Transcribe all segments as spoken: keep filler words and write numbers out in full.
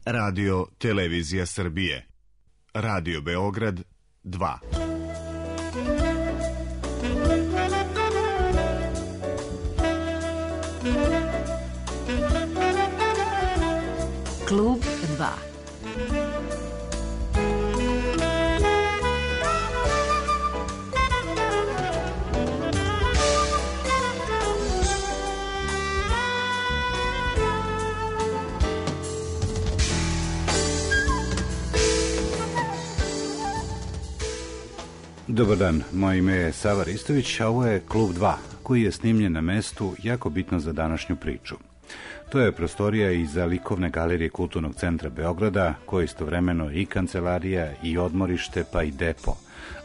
Radio Televizija Srbije. Radio Beograd dva. Klub dva. Dobar dan, moje ime je Sava Ristović, a ovo je Klub dva, koji je snimljen na mestu jako bitno za današnju priču. To je prostorija iza likovne galerije Kulturnog centra Beograda, koja je istovremeno i kancelarija, i odmorište, pa i depo,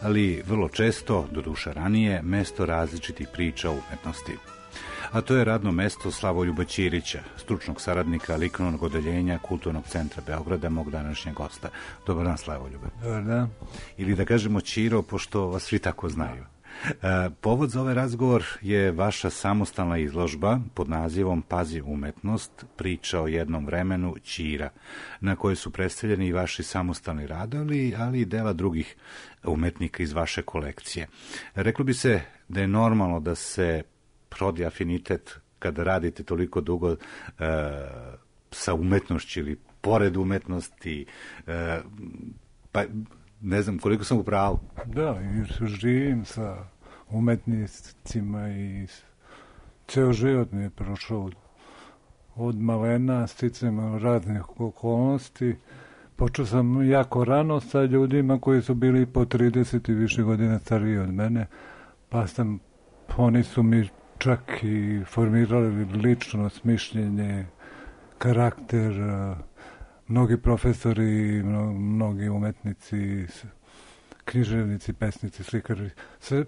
ali vrlo često, doduše ranije, mesto različitih priča o umetnosti. A to je radno mesto Slavoljuba Ćirića, stručnog saradnika likovnog odeljenja Kulturnog centra Beograda, mog današnjeg gosta. Dobar dan, Slavoljube. Dobar dan. Ili da kažemo Ćiro, pošto vas svi tako znaju. E, povod za ovaj razgovor je vaša samostalna izložba pod nazivom Pazi umetnost, priča o jednom vremenu Ćira, na kojoj su predstavljeni i vaši samostalni radovi, ali i dela drugih umetnika iz vaše kolekcije. Reklo bi se da je normalno da se rodi afinitet kada radite toliko dugo e, sa umetnošću ili pored umetnosti, e, pa ne znam koliko sam u pravu. Da, i živim sa umetnicima i ceo život mi je prošao od malena, sticajem raznih okolnosti. Počeo sam jako rano sa ljudima koji su bili po trideset i više godina stariji od mene, pa sam, oni su mi čak i formirali ličnost, mišljenje, karakter, mnogi profesori, mnogi umetnici, književnici, pesnici, slikari. Sve,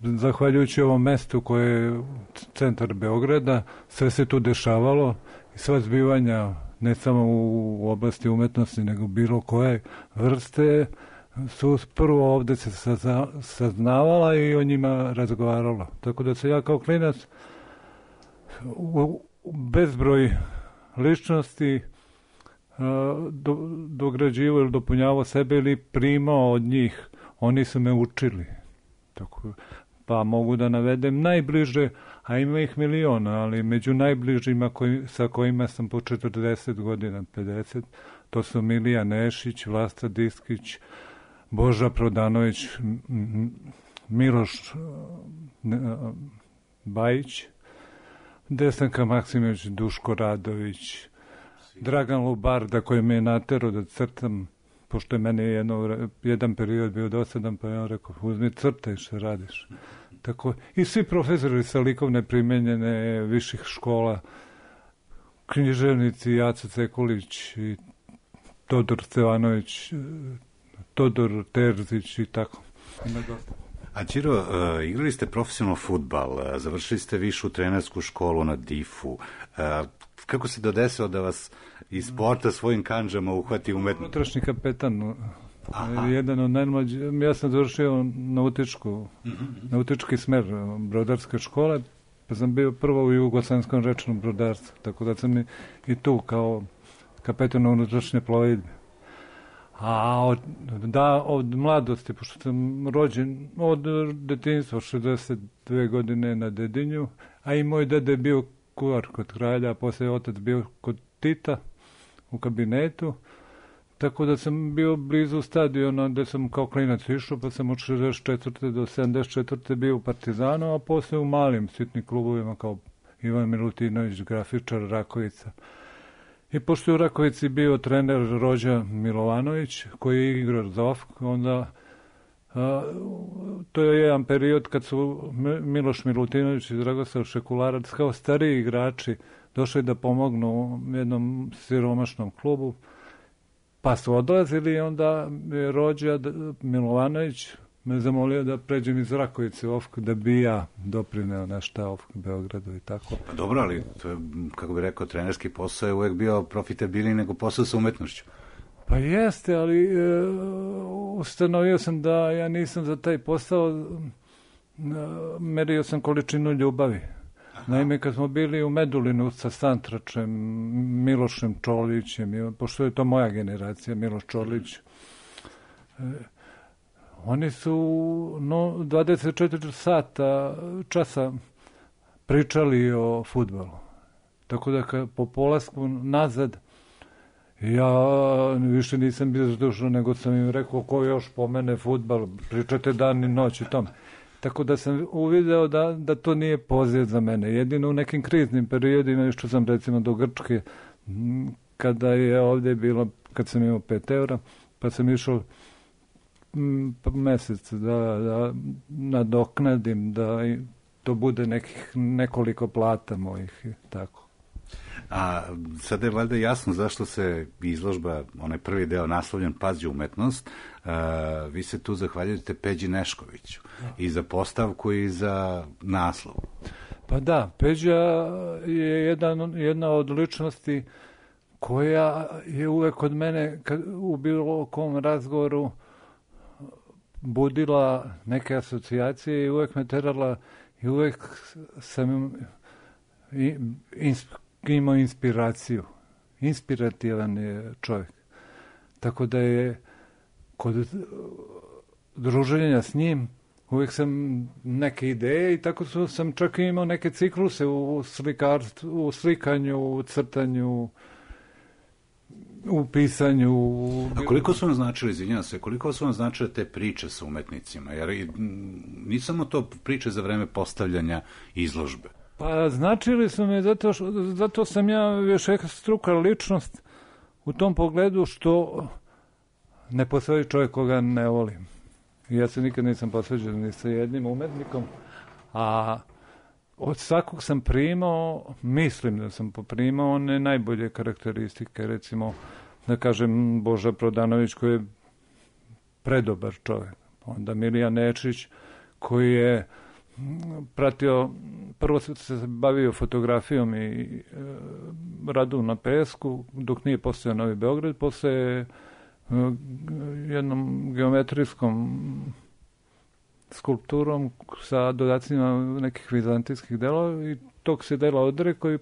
zahvaljujući ovom mestu koje je centar Beograda, sve se tu dešavalo i sva zbivanja, ne samo u oblasti umetnosti, nego bilo koje vrste, su prvo ovde se saznavala i o njima razgovarala. Tako da se ja kao klinac u bezbroj ličnosti do, dograđivao ili dopunjavao sebe ili primao od njih. Oni su me učili. Tako, pa mogu da navedem najbliže, a ima ih miliona, ali među najbližima koji, sa kojima sam po četrdeset godina, pedeset, to su Milija Nešić, Vlasta Diskić, Boža Prodanović, Miloš Bajić, Desanka Maksimović, Duško Radović, Dragan Lubarda koji me je naterao da crtam, pošto je meni jedno, jedan period bio dosadan, pa ja rekao, uzmi crtaj što radiš. Tako, i svi profesori sa likovne primenjene viših škola, književnici Jaca Cekulić i Todor Stevanović, Todor Terzić i tako. A Ćiro, uh, igrali ste profesionalno fudbal, uh, završili ste višu trenersku školu na difu. Uh, kako se dodesilo da vas iz sporta svojim kanđama uhvati umetno? Unutrašnji kapetan, Aha. jedan od najmlađih. Ja sam završio nautičku, mm-hmm. nautički smer brodarske škole, pa sam bio prvo u Jugoslavenskom rečnom brodarstvu, tako da sam i, i tu kao kapetan unutrašnje plovidbe. A od, da, od mladosti, pošto sam rođen od detinjstva, šezdeset dve godine na Dedinju, a i moj dede je bio kuvar kod kralja, a posle je otac bio kod Tita u kabinetu, tako da sam bio blizu stadiona gde sam kao klinac išao, pa sam od šezdeset četvrte do sedamdeset četvrte bio u Partizanu, a posle u malim sitnim klubovima kao Ivan Milutinović, grafičar, Rakovica. I pošto je u Rakovici bio trener Rođa Milovanović, koji je igrao za O F K, onda a, to je jedan period kad su Miloš Milutinović i Dragoslav Šekularac kao stariji igrači došli da pomognu jednom siromašnom klubu, pa su odlazili i onda je Rođa Milovanović me zamolio da pređem iz Rakovice u O F K, da bi ja doprineo nešto O F K Beogradu i tako. Pa dobro, ali to je, kako bi rekao, trenerski posao je uvek bio profitabilniji nego posao sa umetnošću. Pa jeste, ali e, ustanovio sam da ja nisam za taj posao, e, merio sam količinu ljubavi. Naime, kad smo bili u Medulinu sa Santračem, Milošem Čolićem, pošto je to moja generacija, Miloš Čolić, oni su no, dvadeset četiri sata časa pričali o fudbalu. Tako da ka, po polasku nazad ja više nisam bio zdušao, nego sam im rekao ko još pomene fudbal, pričate dan i noć i tome. Tako da sam uvideo da, da to nije poziv za mene. Jedino u nekim kriznim periodima, išao sam recimo do Grčke, kada je ovdje bilo, kad sam imao pet evra, pa sam išao mesec da, da nadoknadim, da to bude nekih nekoliko plata mojih i tako. A sada je valjda jasno zašto se izložba, onaj prvi deo naslovljen Pazi umetnost, a, vi se tu zahvaljujete Peđi Neškoviću i za postavku i za naslov. Pa da, Peđa je jedan, jedna od ličnosti koja je uvek od mene kad, u bilo kom razgovoru budila neke asocijacije i uvek me terala i uvek sam imao inspiraciju. Inspirativan je čovjek. Tako da je kod druženja s njim uvijek sam neke ideje i tako su, sam čak imao neke cikluse u slikarstvu, u slikanju, u crtanju, u pisanju. A koliko su vam značili, izvinjavam se, koliko su vam značile te priče sa umetnicima? Jer nisu samo to priče za vreme postavljanja izložbe. Pa značili su me zato, što, zato sam ja još struka ličnost u tom pogledu što ne postoji čovjek koga ne volim. Ja se nikad nisam posveđen ni sa jednim umetnikom, a od svakog sam primao, mislim da sam poprimao one najbolje karakteristike, recimo, da kažem, Boža Prodanović koji je predobar čovjek, onda Milija Nečić koji je pratio, prvo se bavio fotografijom i e, radu na pesku, dok nije postojao Novi Beograd, posle e, jednom geometrijskom skulpturom sa dodacima nekih vizantijskih delova i tog se dela odrekao i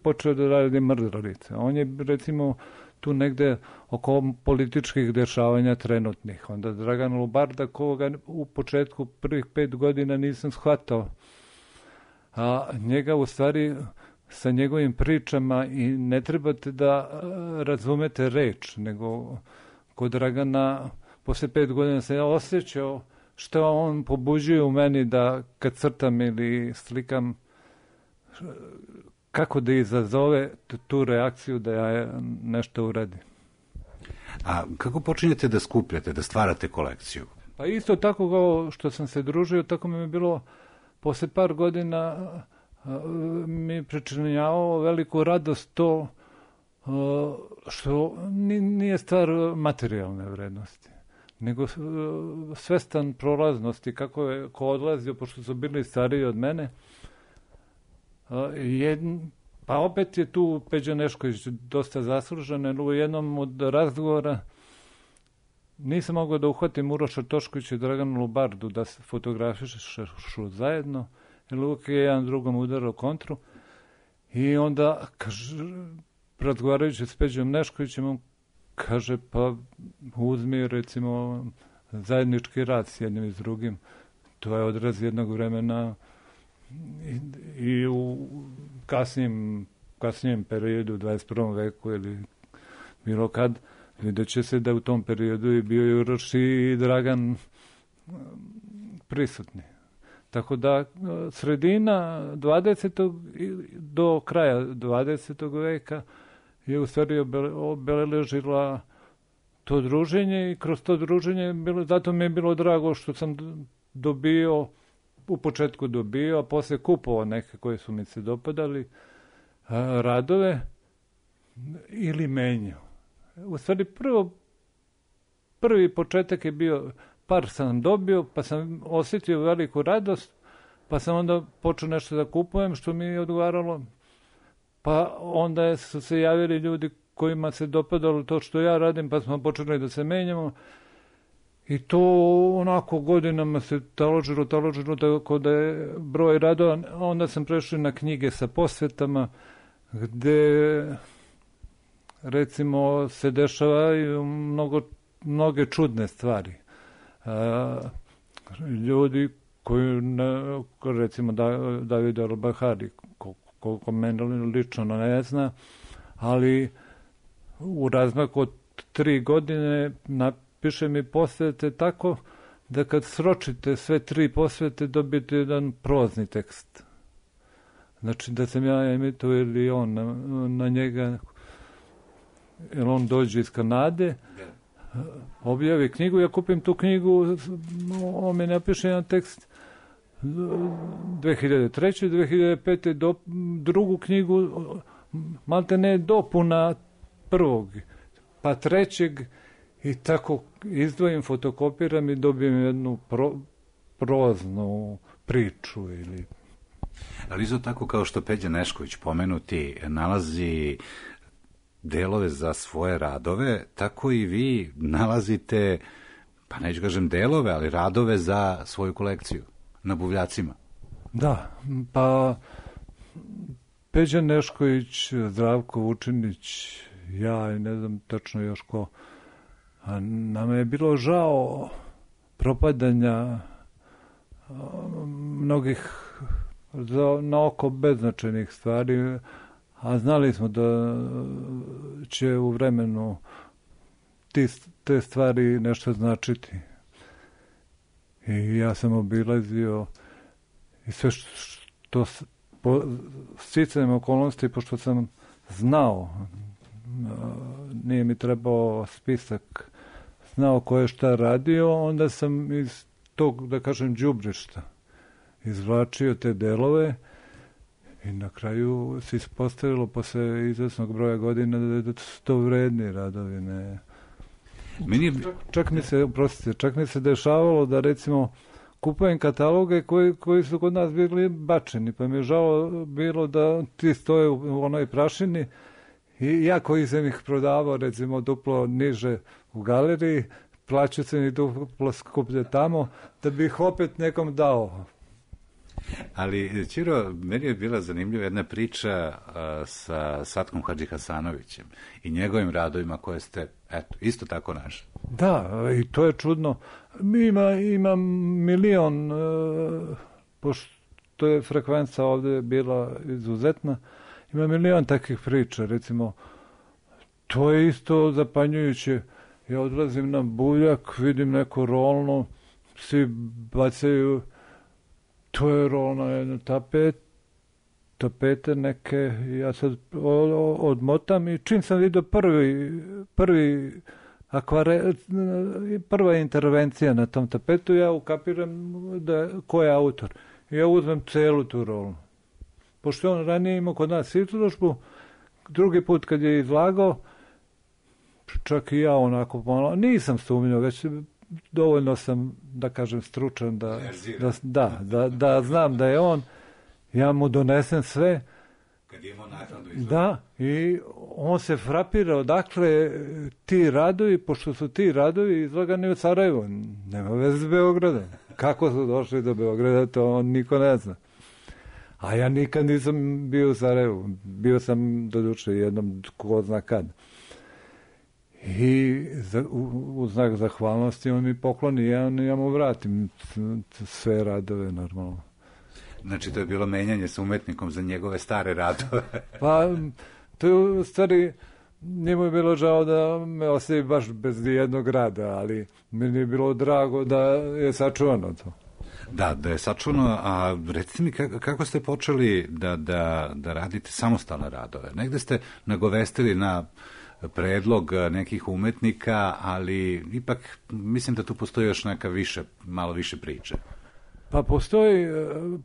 počeo da radi mrdralice. On je, recimo, tu negde oko političkih dešavanja trenutnih. Onda Dragan Lubarda, koga u početku prvih pet godina nisam shvatao, a njega u stvari sa njegovim pričama i ne trebate da razumete reč, nego kod Dragana posle pet godina se ja osjećao što on pobuđuje u meni da kad crtam ili slikam, kako da izazove tu reakciju da ja nešto uradim. A kako počinjete da skupljate, da stvarate kolekciju? Pa isto tako kao što sam se družio, tako mi je bilo posle par godina mi pričinjavao veliku radost to što nije stvar materijalne vrednosti, nego svestan prolaznosti, kako je ko odlazio, pošto su bili stariji od mene. Jedn, pa opet je tu Peđa Nešković dosta zaslužen, jer u jednom od razgovora nisam mogao da uhvatim Uroša Toškovića i Draganu Lubardu da se fotografišu zajedno, jer uvijek je jedan drugom udarao kontru i onda kaže, razgovarajući s Peđom Neškovićem, on kaže, pa uzmi recimo zajednički rad s jednim i s drugim, to je odraz jednog vremena i, i u kasnijem, kasnijem periodu u dvadeset prvom veku ili bilo kad, vidjet će se da u tom periodu je bio i Uroš i Dragan prisutni. Tako da sredina dvadesetog do kraja dvadesetog veka je u stvari obeležila to druženje i kroz to druženje bilo, zato mi je bilo drago što sam dobio, u početku dobio, a posle kupovao neke koje su mi se dopadali, radove ili menjao. U stvari prvo, prvi početak je bio, par sam dobio, pa sam osjetio veliku radost, pa sam onda počeo nešto da kupujem, što mi je odgovaralo. Pa onda su se javili ljudi kojima se dopadalo to što ja radim, pa smo počeli da se menjamo. I to onako godinama se taložilo, taložilo, tako da je broj radova. Onda sam prešao na knjige sa posvetama, gde recimo se dešavaju mnogo, mnoge čudne stvari. A, ljudi koji, ne, recimo David al-Bahari, koliko mene lično ne zna, ali u razmaku od tri godine napiše mi posvete tako da kad sročite sve tri posvete dobijete jedan prozni tekst. Znači da sam ja emitao ili on na, na njega, jer on dođe iz Kanade, objavi knjigu, ja kupim tu knjigu, on mi napiše jedan tekst dve hiljade treće. dve hiljade pete. Do, drugu knjigu, malte ne dopuna prvog, pa trećeg, i tako izdvojim, fotokopiram i dobijem jednu pro, proznu priču. Ili... Ali isto tako kao što Peđa Nešković pomenuti nalazi delove za svoje radove, tako i vi nalazite, pa neću kažem delove, ali radove za svoju kolekciju na buvljacima. Da, pa Peđa Nešković, Zdravko Vučinić, ja i ne znam tačno još ko, a nama je bilo žao propadanja a, mnogih za, na oko beznačajnih stvari, a znali smo da će u vremenu ti, te stvari nešto značiti. I ja sam obilazio i sve što po sticajem okolnosti, pošto sam znao, nije mi trebao spisak, znao ko je šta radio, onda sam iz tog, da kažem, đubrišta izvlačio te delove i na kraju se ispostavilo posle izvesnog broja godina da su to vredni radovi. Ne. Meni... Čak, čak mi se, prostite, čak mi se dešavalo da recimo kupujem kataloge koji, koji su kod nas bili bačeni, pa mi je žao bilo da ti stoje u onoj prašini i ja koji sam ih prodavao recimo duplo niže u galeriji, plaćao sam ih duplo skuplje tamo, da bi ih opet nekom dao. Ali, Ćiro, meni je bila zanimljiva jedna priča uh, sa Satkom Hadžihasanovićem i njegovim radovima koje ste, eto, isto tako našli. Da, i to je čudno. Ima, ima milion, uh, pošto je frekvenca ovde bila izuzetna, ima milion takvih priča. Recimo, to je isto zapanjujuće. Ja odlazim na buljak, vidim neko rolno, svi bacaju, to je rolno jedno tapet, tapete neke, ja sad odmotam i čim sam vidio prvi, prvi akvare, prva intervencija na tom tapetu, ja ukapiram da, ko je autor. Ja uzmem celu tu rolnu. Pošto on ranije imao kod nas izložbu, drugi put kad je izlagao, čak i ja onako pomalo, nisam sumnjao, već dovoljno sam, da kažem, stručan da, da, da, da, da znam da je on, ja mu donesem sve. Kad je imao naknadu izgleda. Da, i on se frapira odakle ti radovi, pošto su ti radovi izlagani u Sarajevu, nema veze s Beogradom. Kako su došli do Beograda, to on niko ne zna. A ja nikad nisam bio u Sarajevu, bio sam doduše jednom ko zna kad. I za, u, u znak zahvalnosti on mi pokloni, ja, ja mu vratim sve radove normalno. Znači to je bilo menjanje sa umetnikom za njegove stare radove. Pa to je u stvari, njemu je bilo žao da me ostavi baš bez jednog rada, ali meni je bilo drago da je sačuvano to. Da, da je sačuvano, a recite mi kako, kako ste počeli da, da, da radite samostalne radove? Negde ste nagovestili na predlog nekih umetnika, ali ipak mislim da tu postoji još neka više, malo više priče. Pa postoji,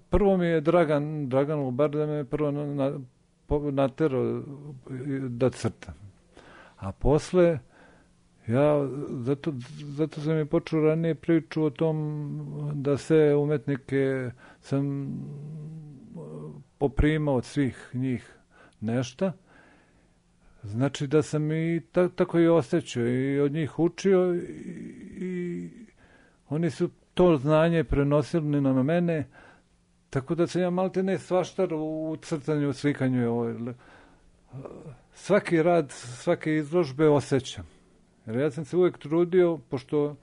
prvo mi je Dragan, Dragan Lubar da me prvo na, naterao da crtam. A posle, ja, zato, zato sam i počeo ranije priču o tom da sve umetnike sam poprimao od svih njih nešto. Znači da sam i ta, tako i osjećao i od njih učio i, i oni su to znanje prenosili na mene, tako da sam ja malte ne svaštar u crtanju, u slikanju. Svaki rad, svake izložbe osjećam. Jer ja sam se uvijek trudio, pošto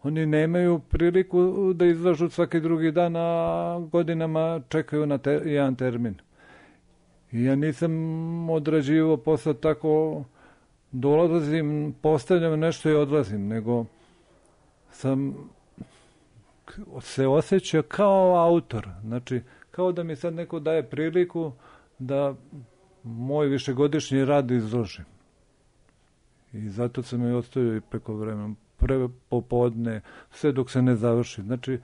oni nemaju priliku da izlažu svaki drugi dan, a godinama čekaju na te, jedan termin. I ja nisam odrađivao posao tako, dolazim, postavljam nešto i odlazim, nego sam se osjećao kao autor. Znači, kao da mi sad neko daje priliku da moj višegodišnji rad izložim. I zato sam i ostavio i preko vremena, pre popodne, sve dok se ne završi. Znači,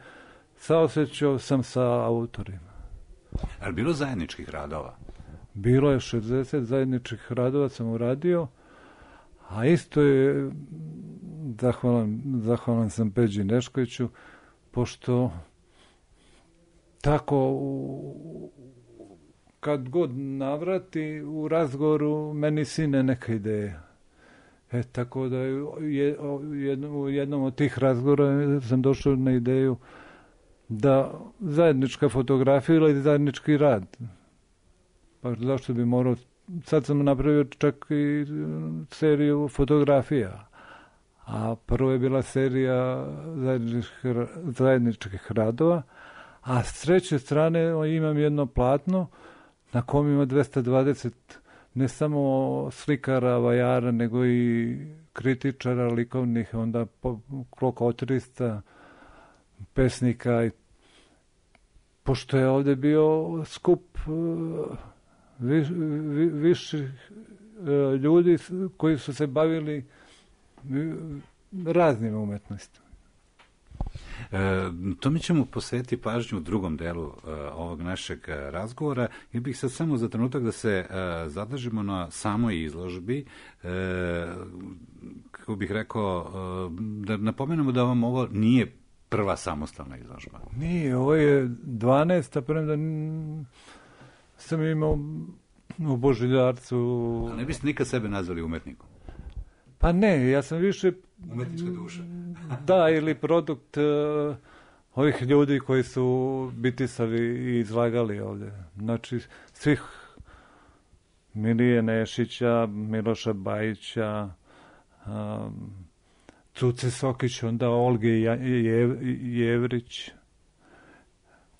saosjećao sam sa autorima. Ali bilo zajedničkih radova? Bilo je šezdeset zajedničkih radova sam uradio, a isto je, zahvalan, zahvalan sam Peđi Neškoviću, pošto tako kad god navrati u razgovoru meni sine neka ideja. E, tako da je, u jednom od tih razgovora sam došao na ideju da zajednička fotografija ili zajednički rad. Pa zašto bi morao, sad sam napravio čak i seriju fotografija, a prvo je bila serija zajedničkih, zajedničkih radova, a s treće strane imam jedno platno na kom ima dvesta dvadeset ne samo slikara, vajara, nego i kritičara likovnih, onda oko trista pesnika. Pošto je ovdje bio skup viš, vi, viših ljudi koji su se bavili raznim umetnostima. E, to mi ćemo posvetiti pažnju u drugom delu e, ovog našeg razgovora. Ja bih sad samo za trenutak da se e, zadržimo na samoj izložbi. E, kako bih rekao, e, da napomenemo da vam ovo nije prva samostalna izložba. Nije, ovo je dvanaesta, premda sam imao u Božiljarcu. A ne biste nikad sebe nazvali umetnikom? Pa ne, ja sam više umetnička duša. Da, ili produkt uh, ovih ljudi koji su bitisali i izlagali ovdje. Znači, svih Milije Nešića, Miloša Bajića, um, Cuce Sokić, onda Olge Jevrić.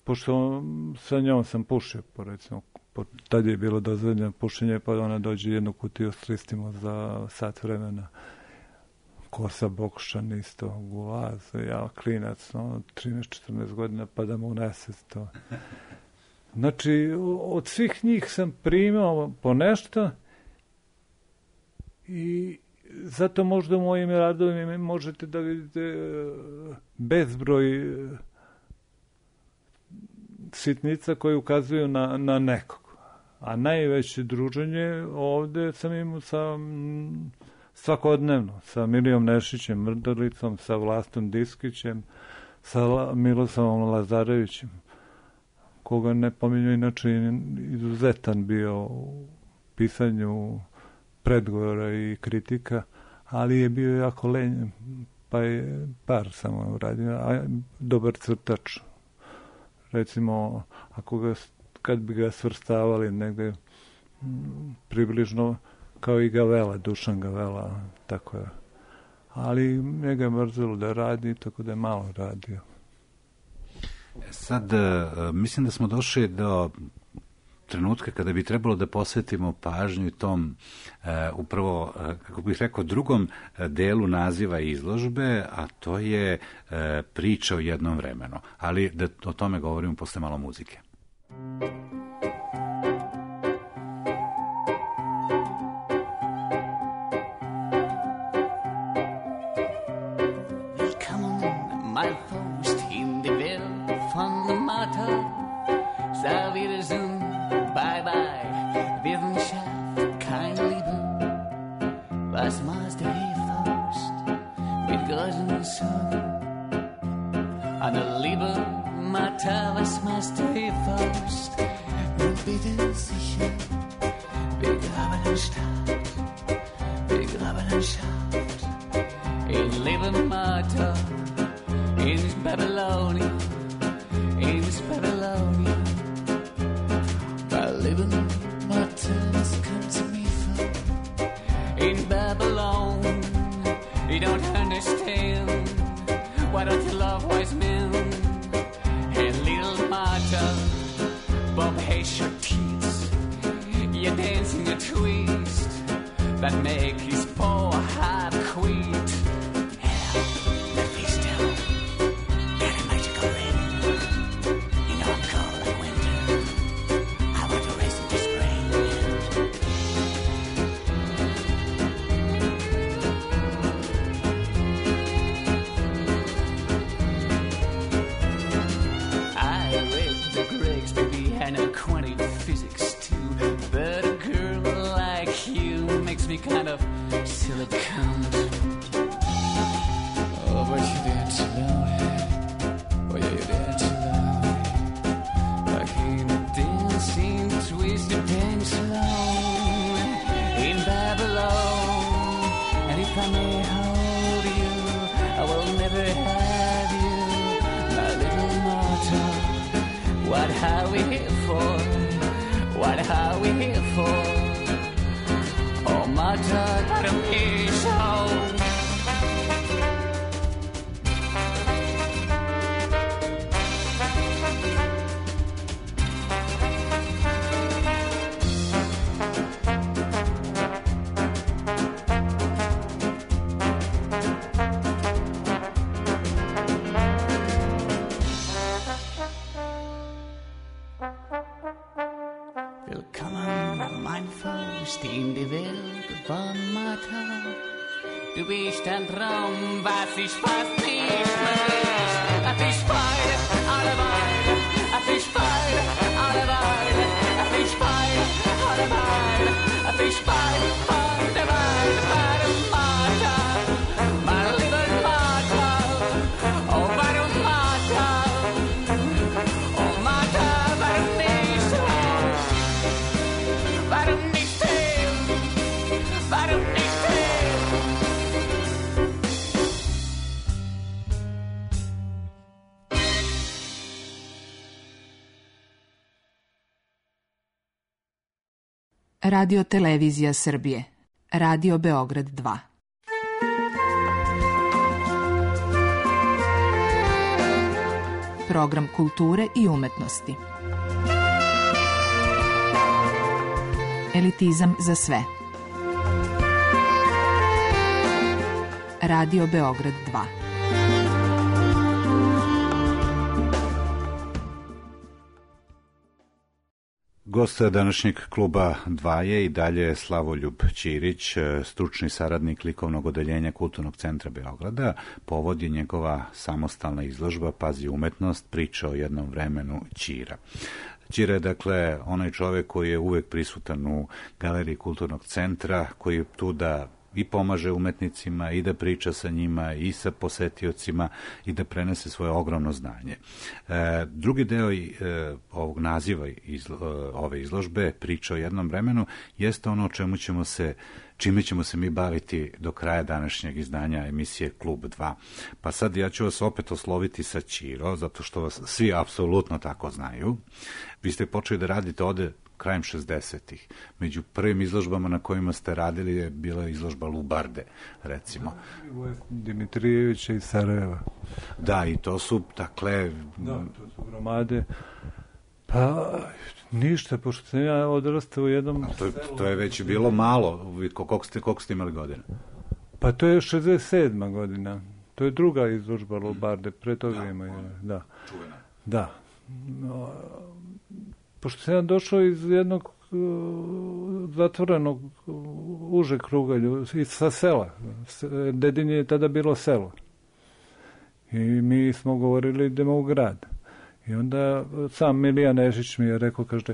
Pošto sa njom sam pušio, po recimo, po, tad je bilo dozvoljeno pušenje, pa ona dođe jednu kutiju s listima za sat vremena. Kosa Bokšan isto, Gulaz, ja klinac, no, trinaest četrnaest godina, pa da mu nese to. Znači, od svih njih sam primao po nešto i zato možda u mojim radovima možete da vidite bezbroj sitnica koje ukazuju na, na nekog. A najveće druženje ovdje sam imao sa svakodnevno, sa Milijom Nešićem Mrdalicom, sa Vlastom Diskićem, sa Milosavom Lazarevićem, koga ne pominju, inače izuzetan bio u pisanju predgovora i kritika, ali je bio jako lenjen, pa je par samo uradio, a dobar crtač. Recimo, ako ga, kad bi ga svrstavali negde m, približno kao i Gavela, Dušan Gavela, tako je. Ali njega je mrzelo da radi, tako da je malo radio. Sad, mislim da smo došli do trenutka kada bi trebalo da posvetimo pažnju tom uh, upravo, uh, kako bih rekao, drugom delu naziva izložbe, a to je uh, priča o jednom vremenu. Ali da o tome govorimo posle malo muzike. in this Babylonia, in this Babylonia. By living my turns come to me for in Babylon. You don't understand. Why don't you love wise men? Hey, little Martha, Bob hates your teeth. You're dancing a twist that make his poor heart quit. Hell, let me still get a magical ring. You know I'm cold like winter. I want to race into spring. I read the Greeks, baby, and a quantity physics too. But a girl like you makes me kind of silicone. Oh, but you dance slowly. Oh, yeah, you dance slowly. Like in a dancing, twisted dance alone in Babylon. And if I may hold you, I will never have you, my little mortal. What are we here for? What are we here for? Oh, my God, what a piece of Willkommen, mein Fürst, in die Welt von Martha. Du bist ein Traum, was ich fast nicht mehr ist. Ach, ich feire alle Weile, ach, ich feire alle Weile, ach, ich feire alle Weile, ach, ich feire alle Weile, warum Martha, meine liebe Martha, oh, warum Martha, oh, Martha, warum nicht so, warum nicht still, warum nicht still. Radio Televizija Srbije. Radio Beograd dva. Program kulture i umetnosti. Elitizam za sve. Radio Beograd dva. Gost današnjeg kluba dva je i dalje Slavoljub Ćirić, stručni saradnik likovnog odeljenja Kulturnog centra Beograda. Povod je njegova samostalna izložba Pazi umetnost, priča o jednom vremenu Ćira. Ćira je dakle onaj čovjek koji je uvek prisutan u galeriji Kulturnog centra, koji je tu da i pomaže umetnicima i da priča sa njima i sa posetiocima i da prenese svoje ogromno znanje. E, drugi deo e, ovog naziva izlo, ove izložbe, priča o jednom vremenu, jeste ono o čemu ćemo se čime ćemo se mi baviti do kraja današnjeg izdanja emisije Klub dva. Pa sad ja ću vas opet osloviti sa Ćiro, zato što vas svi apsolutno tako znaju. Vi ste počeli da radite ovde krajem šezdesetih. Među prvim izložbama na kojima ste radili je bila izložba Lubarde, recimo. Dimitrijevića iz Sarajeva. Da, i to su, dakle... Da, to su gromade. Pa, ništa, pošto sam ja odrastao u jednom... To, to je već bilo malo. Koliko ste, koliko ste imali godina? Pa to je šezdeset sedma godina. To je druga izložba Lubarde, pre toga ima. Da, čuvena. Da. No, pošto sam ja došao iz jednog uh, zatvorenog uh, užeg kruga ljudi, sa sela. Dedinje je tada bilo selo. I mi smo govorili idemo u grad. I onda sam Milija Nešić mi je rekao, kaže,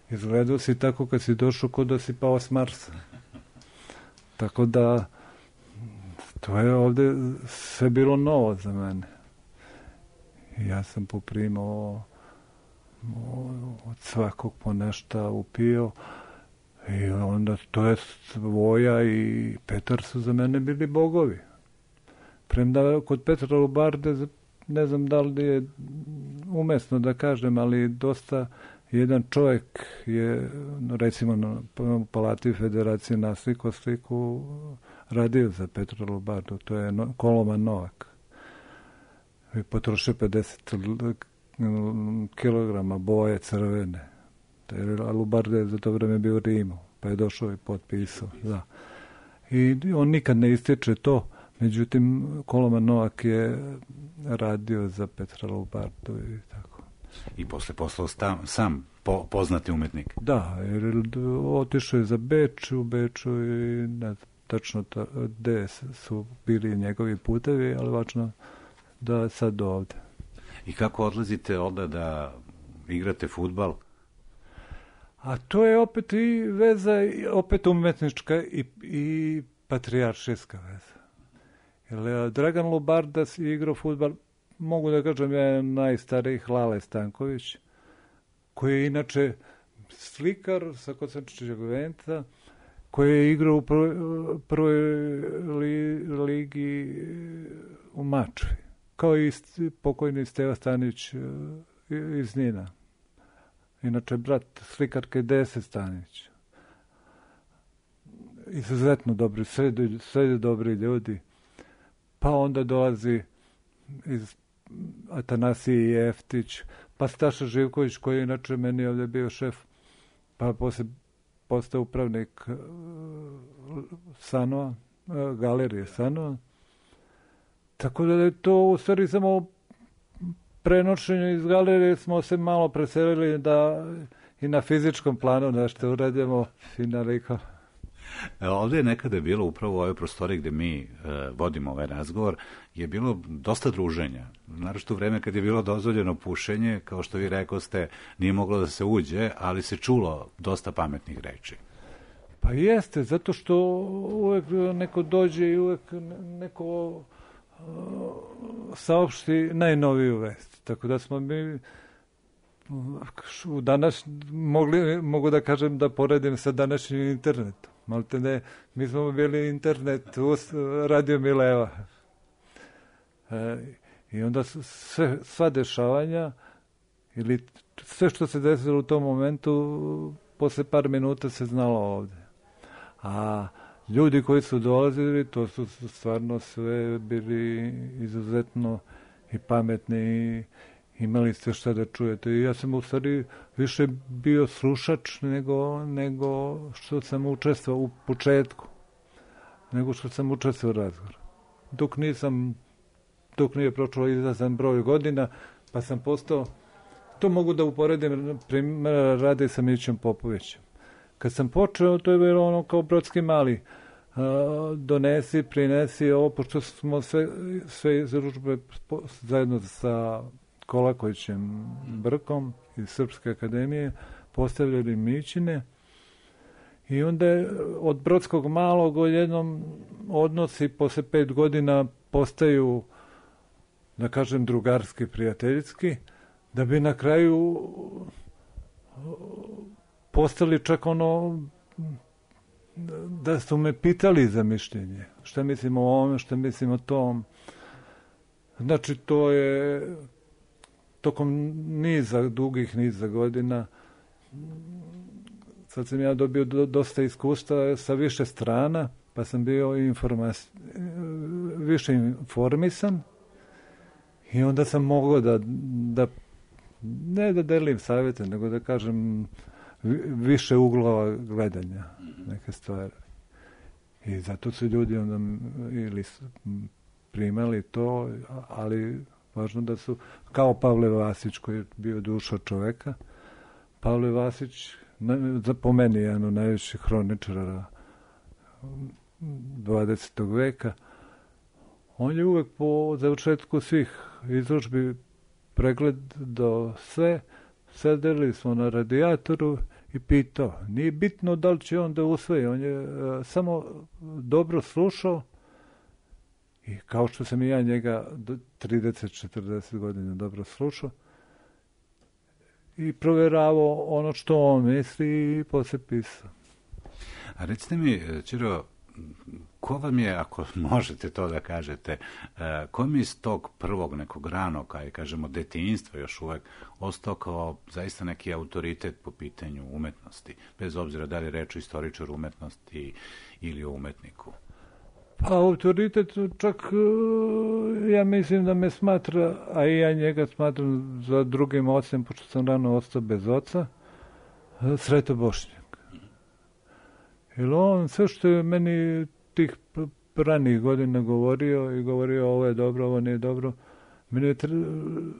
izgledao si tako kad si došao kod da si pao s Marsa. Tako da, to je ovde sve bilo novo za mene. I ja sam poprimao od svakog po nešto upio i onda to je Voja i Petar su za mene bili bogovi. Premda kod Petra Lubarde ne znam da li je umesno da kažem, ali dosta jedan čovjek je, recimo na Palati Federacije nasliko sliku radio za Petra Lubardu, to je Koloman Novak. I potrošio pedeset kilograma boje crvene. A Lubarda je za to vreme bio u Rimu, pa je došao i potpisao. Da. I on nikad ne ističe to, međutim Koloman Novak je radio za Petra Lubardu i tako. I posle poslao sta, sam po, poznati umetnik. Da, jer otišao je za Beč, u Beču i ne tačno ta, gde su bili njegovi putevi, ali važno da sad ovde. I kako odlazite onda da igrate fudbal? A to je opet i veza, opet umetnička i, i patrijaršijska veza. Jer Dragan Lubardas je igrao fudbal, mogu da kažem, je najstariji Hlale Stanković, koji je inače slikar sa Kosančićevog Venca, koji je igrao u prvoj, prvoj li, ligi u Mačvi, kao i pokojni Steva Stanić iz Nina. Inače, brat slikarke Dese Stanić. Izuzetno dobri, sve, sve dobri ljudi. Pa onda dolazi iz Atanasije Jeftić, pa Staša Živković, koji je inače meni ovdje bio šef, pa posle postao upravnik uh, Sanova, uh, galerije Sanova. Tako da je to u stvari samo prenošenju iz galerije smo se malo preselili da i na fizičkom planu nešto uradimo finaliko. Ovdje je nekada bilo upravo u ovoj prostoriji gde mi e, vodimo ovaj razgovor, je bilo dosta druženja. Naravno u vreme kad je bilo dozvoljeno pušenje, kao što vi rekoste, nije moglo da se uđe, ali se čulo dosta pametnih reči. Pa jeste, zato što uvek neko dođe i uvek neko uh, saopšti najnoviju vest. Tako da smo mi u danas mogli, mogu da kažem da poredim sa današnjim internetom. Malte ne, mi smo bili internet u Radio Mileva. E, I onda sve, sva dešavanja ili sve što se desilo u tom momentu posle par minuta se znalo ovde. A ljudi koji su dolazili, to su stvarno sve bili izuzetno i pametni i imali ste šta da čujete. I ja sam u stvari više bio slušač nego, nego što sam učestvovao u početku. Nego što sam učestvovao u razgovoru. Dok nisam, dok nije prošlo izazan broj godina, pa sam postao, to mogu da uporedim, primjer radi sa Mićem Popovićem. Kad sam počeo, to je bilo ono kao Brodski mali. Uh, donesi, prinesi ovo, pošto smo sve, sve izručbe zajedno sa Kolakovićem Brkom iz Srpske akademije postavljali Mićine i onda je od Brodskog malog odjednom odnosi posle pet godina postaju, da kažem, drugarski, prijateljski, da bi na kraju postali čak ono da su me pitali za mišljenje. Šta mislim o ovome, šta mislim o tom. Znači, to je tokom niza, dugih niza godina, sad sam ja dobio do, dosta iskustva sa više strana, pa sam bio informas, više informisan i onda sam mogao da, da ne da delim savjete, nego da kažem više uglova gledanja neke stvari. I zato su ljudi onda ili primali to, ali važno da su, kao Pavle Vasić koji je bio duša čoveka, Pavle Vasić, po meni jedan od najvećih hroničara dvadesetog veka, on je uvek po završetku svih izložbi pregled do sve, sedeli smo na radijatoru i pitao, nije bitno da li će on da usvoji, on je uh, samo dobro slušao i kao što sam i ja njega trideset četrdeset godina dobro slušao i provjeravao ono što on misli i posle pisao. A recite mi, Ćiro, ko vam je, ako možete to da kažete, ko mi iz tog prvog nekog ranog, aj kažemo detinjstva još uvek, ostao kao zaista neki autoritet po pitanju umetnosti, bez obzira da li je reč o istoričaru umetnosti ili o umetniku? Pa autoritet čak, ja mislim da me smatra, a i ja njega smatram za drugim ocem, pošto sam rano ostao bez oca, Sreto Bošnjak. Jer on sve što je meni tih ranih godina govorio i govorio ovo je dobro, ovo nije dobro, meni je tre...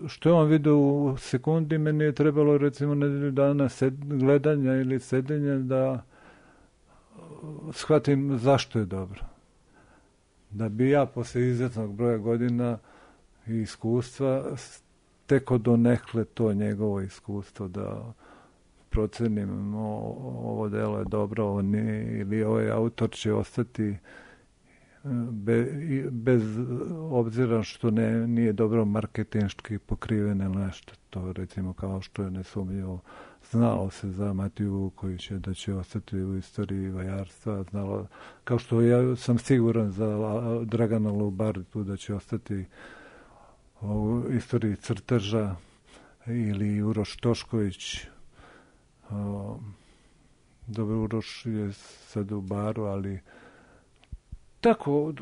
što je on vidio u sekundi, meni je trebalo recimo nedelju dana sed... gledanja ili sedenja da shvatim zašto je dobro. Da bi ja posle izuzetnog broja godina i iskustva teko donekle to njegovo iskustvo da procenim o, ovo delo je dobro, ovo nije, ili ovaj autor će ostati be, bez obzira što ne, nije dobro marketinški pokriven ili nešto. To recimo kao što je nesumnjivo znalo se za Matiju Vukovića da će ostati u istoriji vajarstva, znalo, kao što ja sam siguran za Dragana Lubardu da će ostati u istoriji crteža, ili Uroš Tošković. O, dobro, Uroš je sad u Baru, ali tako,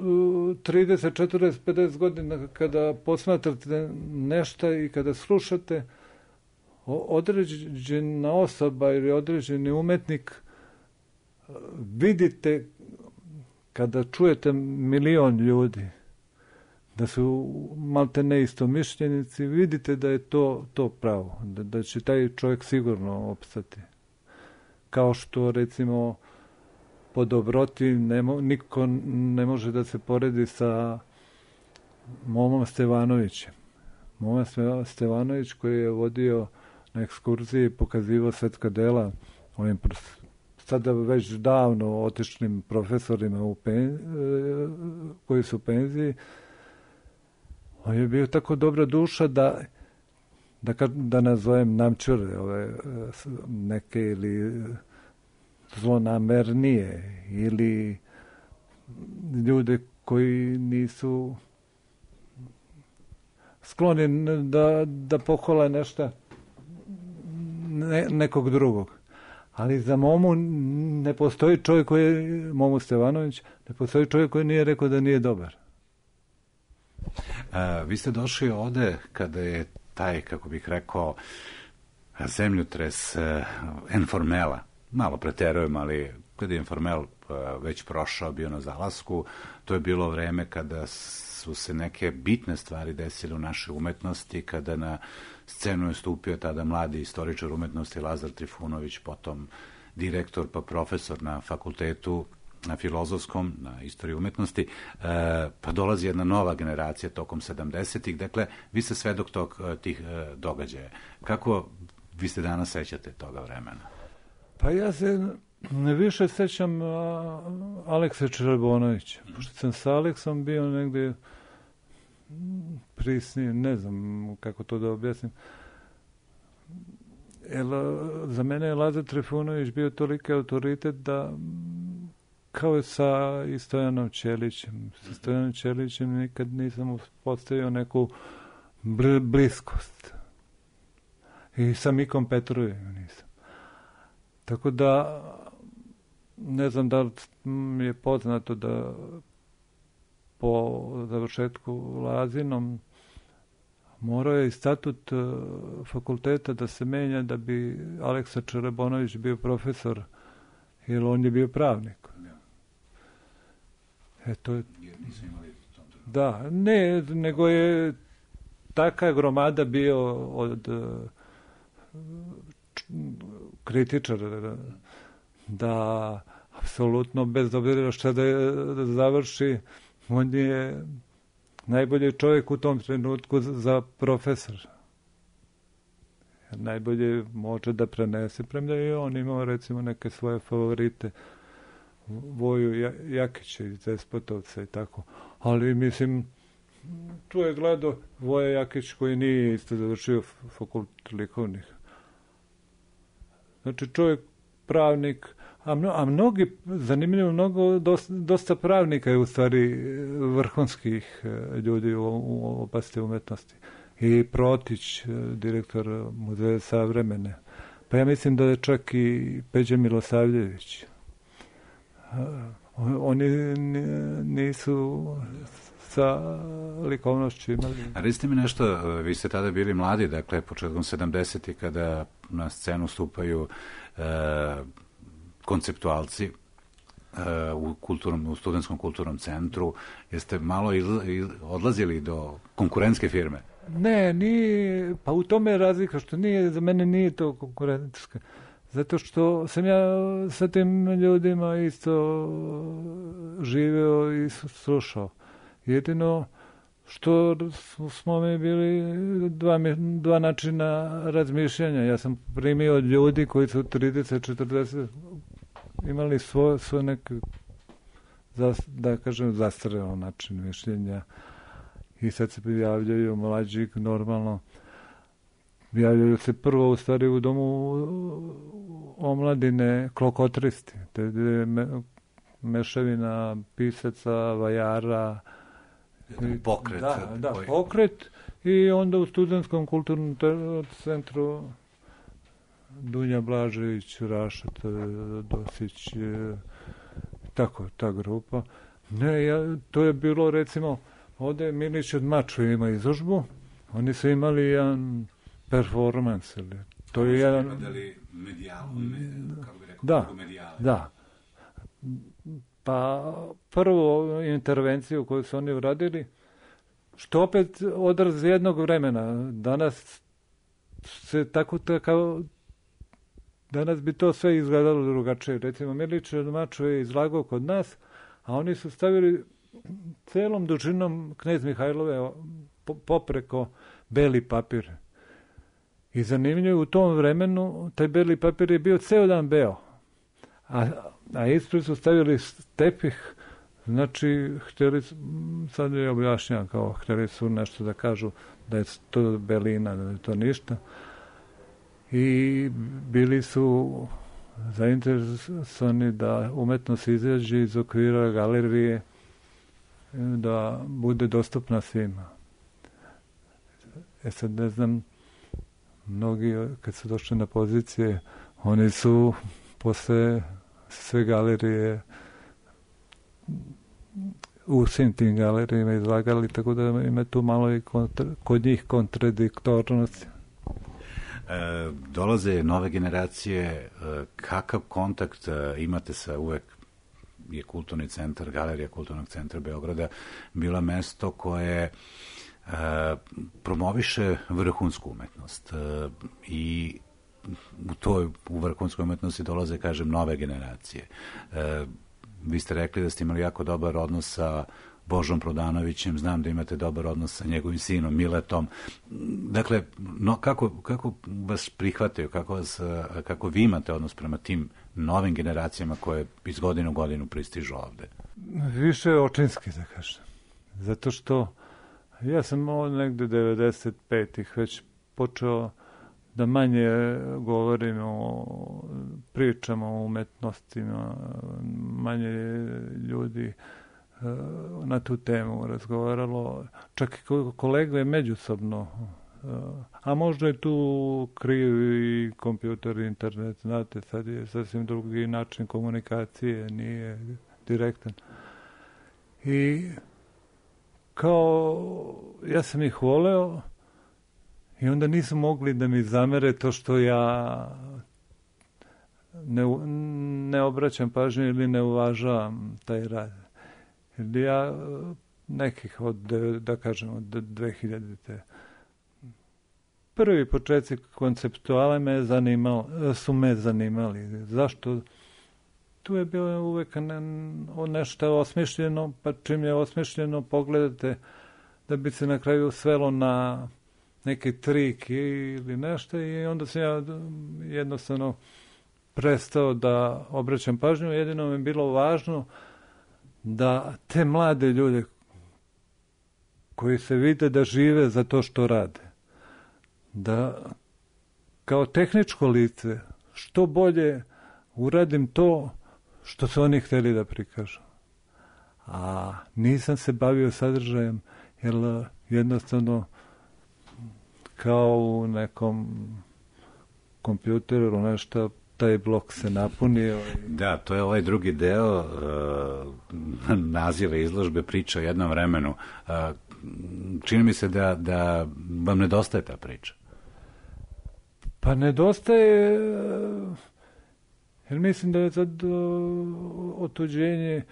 trideset, četrdeset, pedeset godina kada posmatrate nešto i kada slušate, određena osoba ili određeni umetnik vidite kada čujete milion ljudi da su malte ne istomišljenici, vidite da je to, to pravo, da, da će taj čovjek sigurno opstati. Kao što recimo po dobroti ne mo, niko ne može da se poredi sa Momom Stevanovićem. Moma Stevanović koji je vodio na ekskurziji, pokazivao svetska dela ovim sada već davno otišlim profesorima u pen, koji su u penziji. On je bio tako dobra duša da da, da nazovem namčure ove neke ili zlonamernije ili ljude koji nisu skloni da, da pohvale nešto ne, nekog drugog. Ali za Momu ne postoji čovjek koji je, Momu Stevanović, ne postoji čovjek koji nije rekao da nije dobar. A, vi ste došli ovde kada je taj, kako bih rekao, zemljotres uh, Informela, malo preterujem, ali kada je Informel uh, već prošao, bio na zalasku, to je bilo vreme kada su se neke bitne stvari desile u našoj umetnosti, kada na scenu je stupio tada mladi istoričar umetnosti Lazar Trifunović, potom direktor pa profesor na fakultetu, na filozofskom, na istoriji umetnosti, e, pa dolazi jedna nova generacija tokom sedamdesetih. Dakle, vi ste svedok tog, tih e, događaja. Kako vi ste danas sećate toga vremena? Pa ja se više sećam a, Aleksa Čerebonovića. Pošto sam sa Aleksom bio negde prisnije, ne znam kako to da objasnim. Jer za mene je Lazar Trifunović bio toliki autoritet da kao je sa i Stojanom Ćelićem. Sa Stojanom Ćelićem nikad nisam postavio neku bl- bliskost. I sa Mikom Petrovićem nisam. Tako da, ne znam da li mi je poznato da po završetku Lazinom morao je i statut fakulteta da se menja da bi Aleksa Čerebonović bio profesor, jer on je bio pravnik. E, to je... Da, ne, nego je taka gromada bio od kritičara da apsolutno bez obzira šta da, da završi, on je najbolji čovjek u tom trenutku za profesor. Najbolje može da prenese, premda i on imao recimo neke svoje favorite, Voju Jakića iz Despotovca i tako. Ali mislim, tu je gledao Voja Jakić koji nije isto završio fakultet likovnih. Znači čovjek pravnik, A, mno, a mnogi, zanimljivo, mnogo, dosta, dosta pravnika je u stvari vrhunskih ljudi u, u oblasti umetnosti. I Protić, direktor Muzeja savremene. Pa ja mislim da je čak i Peđa Milosavljević. Oni nisu sa likovnošću imali. A recite mi nešto, vi ste tada bili mladi, dakle, početkom sedamdesetih kada na scenu stupaju e, konceptualci e, u, kulturnom, u studentskom kulturnom centru. Jeste malo izla, iz, odlazili do konkurentske firme? Ne, nije, pa u tome je razlika što nije, za mene nije to konkurentska. Zato što sam ja sa tim ljudima isto živeo i slušao. Jedino što smo mi bili dva, dva načina razmišljanja. Ja sam primio od ljudi koji su trideset četrdeset imali svoj, svoj neki, da kažem, zastareo način mišljenja. I sad se javljaju mlađi, normalno. Javljaju se prvo u stvari u domu omladine klokotristi. To je me, mešavina pisaca, vajara. Pokret. Da, da, pokret. I onda u studentskom kulturnom centru Dunja Blažević, Rašat, Dosić, tako, ta grupa. Ne, ja, to je bilo, recimo, ovde Milić od Maču ima izložbu. Oni su imali jedan performans. Ili, to je jedan... Medijalu, kako bi rekao, da, da. Pa prvo intervenciju koju su oni uradili, što opet odraz jednog vremena. Danas se tako, tako danas bi to sve izgledalo drugačije. Recimo, Milić od Maču je izlagao kod nas, a oni su stavili celom dužinom Knez Mihajlove popreko beli papir. I zanimljivo, u tom vremenu taj beli papir je bio ceo dan beo. A, a ispred su stavili tepih, znači, htjeli su, sad je objašnjam kao, htjeli su nešto da kažu da je to belina, da je to ništa. I bili su zainteresovani da umetnost izađe iz okvira galerije, da bude dostupna svima. E sad ne znam, mnogi kad su došli na pozicije, oni su posle sve galerije u svim tim galerijama izlagali, tako da ima tu malo i kontra, kod njih kontradiktornosti. E, dolaze nove generacije, e, kakav kontakt e, imate sa, uvek je kulturni centar, galerija kulturnog centra Beograda bila mesto koje e, promoviše vrhunsku umetnost e, i u toj u vrhunskoj umetnosti dolaze, kažem, nove generacije. E, vi ste rekli da ste imali jako dobar odnos sa Božom Prodanovićem, znam da imate dobar odnos sa njegovim sinom Miletom. Dakle, no, kako, kako vas prihvataju, kako, vas, kako vi imate odnos prema tim novim generacijama koje iz godine u godinu pristižu ovde? Više očinski, da kažem. Zato što ja sam negde devedeset petih već počeo da manje govorim o pričama o umetnostima, manje ljudi na tu temu razgovaralo, čak i kolega je međusobno, a možda je tu kriv i kompjuter, internet, znate, sad je sasvim drugi način komunikacije, nije direktan. I kao, ja sam ih voleo i onda nisu mogli da mi zamere to što ja ne, ne obraćam pažnju ili ne uvažavam taj rad. Jer ja nekih od, da kažem, od dve hiljadite prvi početci konceptuale me zanimali, su me zanimali. Zašto? Tu je bilo uvek ne, nešto osmišljeno, pa čim je osmišljeno pogledate da bi se na kraju svelo na neki trik ili nešto i onda sam ja jednostavno prestao da obraćam pažnju. Jedino mi je bilo važno da te mlade ljude koji se vide da žive za to što rade, da kao tehničko lice što bolje uradim to što su oni htjeli da prikažu. A nisam se bavio sadržajem, jer jednostavno kao u nekom kompjuteru nešto, taj blok se napunio. Da, to je ovaj drugi deo uh, naziva izložbe Priča o jednom vremenu. Uh, čini mi se da, da vam nedostaje ta priča. Pa nedostaje, jer mislim da je sad otuđenje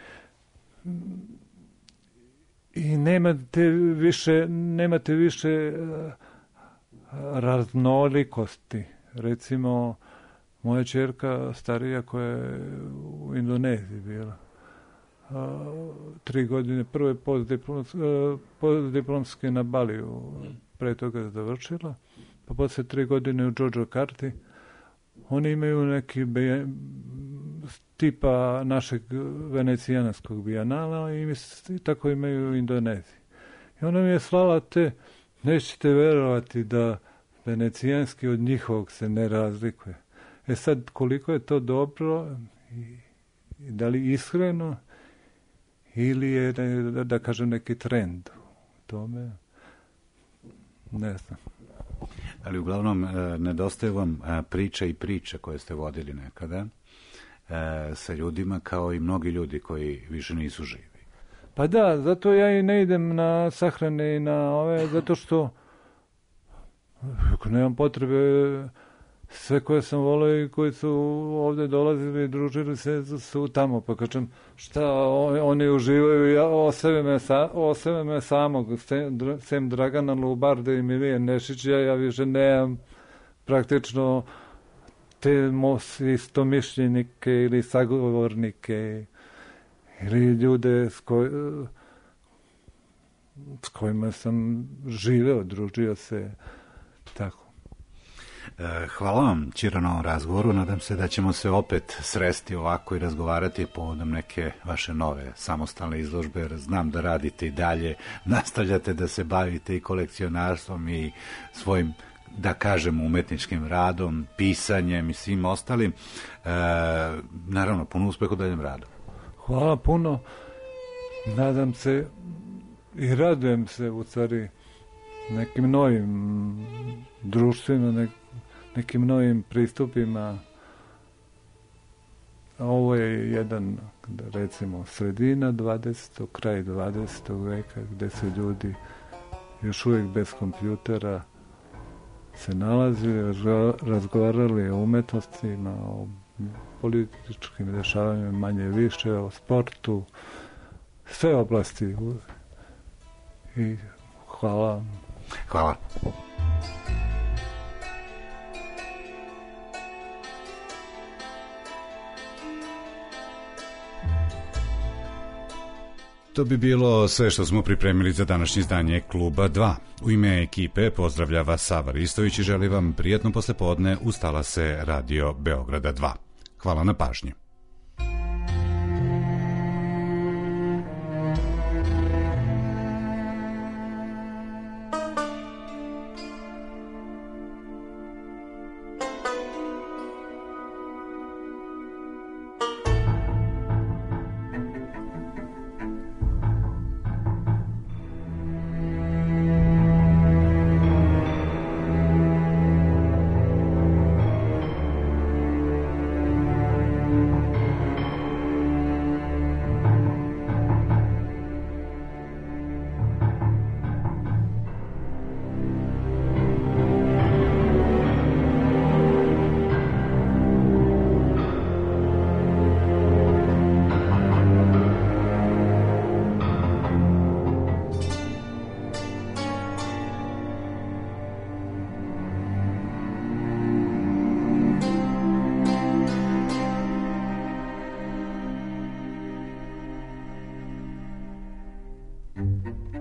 i nemate više, nemate više raznolikosti. Recimo, moja ćerka starija koja je u Indoneziji bila, tri godine, prvo je postdiplomske, postdiplomske na Baliju, pre toga završila, pa posle tri godine u Džordžakarti. Oni imaju neki be, tipa našeg venecijanskog bijanala i, i tako imaju u Indoneziji. I ona mi je slala te, nećete verovati da venecijanski od njihovog se ne razlikuje. E sad, koliko je to dobro i, i da li iskreno ili je, da, da kažem, neki trend u tome, ne znam. Ali uglavnom nedostaje vam priča i priča koje ste vodili nekada sa ljudima, kao i mnogi ljudi koji više nisu živi. Pa da, zato ja i ne idem na sahrane i na ove, zato što ako nemam potrebe, sve koje sam volio i koji su ovde dolazili i družili se su tamo, pa kažem šta oni uživaju, ja osebe me, sa, osebe me samog, sem, sem Dragana Lubarde i Milije Nešića, ja više nemam praktično te istomišljenike ili sagovornike ili ljude s, koj, s kojima sam živeo, družio se, tako. Hvala vam, Ćiro, na ovom razgovoru. Nadam se da ćemo se opet sresti ovako i razgovarati povodom neke vaše nove samostalne izložbe, jer znam da radite i dalje, nastavljate da se bavite i kolekcionarstvom i svojim, da kažem, umetničkim radom, pisanjem i svim ostalim. E, naravno, puno uspeha u daljem radu. Hvala puno. Nadam se i radujem se u stvari nekim novim društvima, nek, nekim novim pristupima. Ovo je jedan, recimo, sredina dvadesetog, kraj dvadesetog veka, gde se ljudi još uvijek bez kompjutera se nalazili, razgovarali o umetnostima, o političkim dešavanjima, manje više, o sportu, sve oblasti. I hvala. Hvala. To bi bilo sve što smo pripremili za današnje izdanje Kluba dva. U ime ekipe pozdravlja vas Sava Ristović i želi vam prijatno poslepodne uz talase Radio Beograda dva. Hvala na pažnji. Thank you.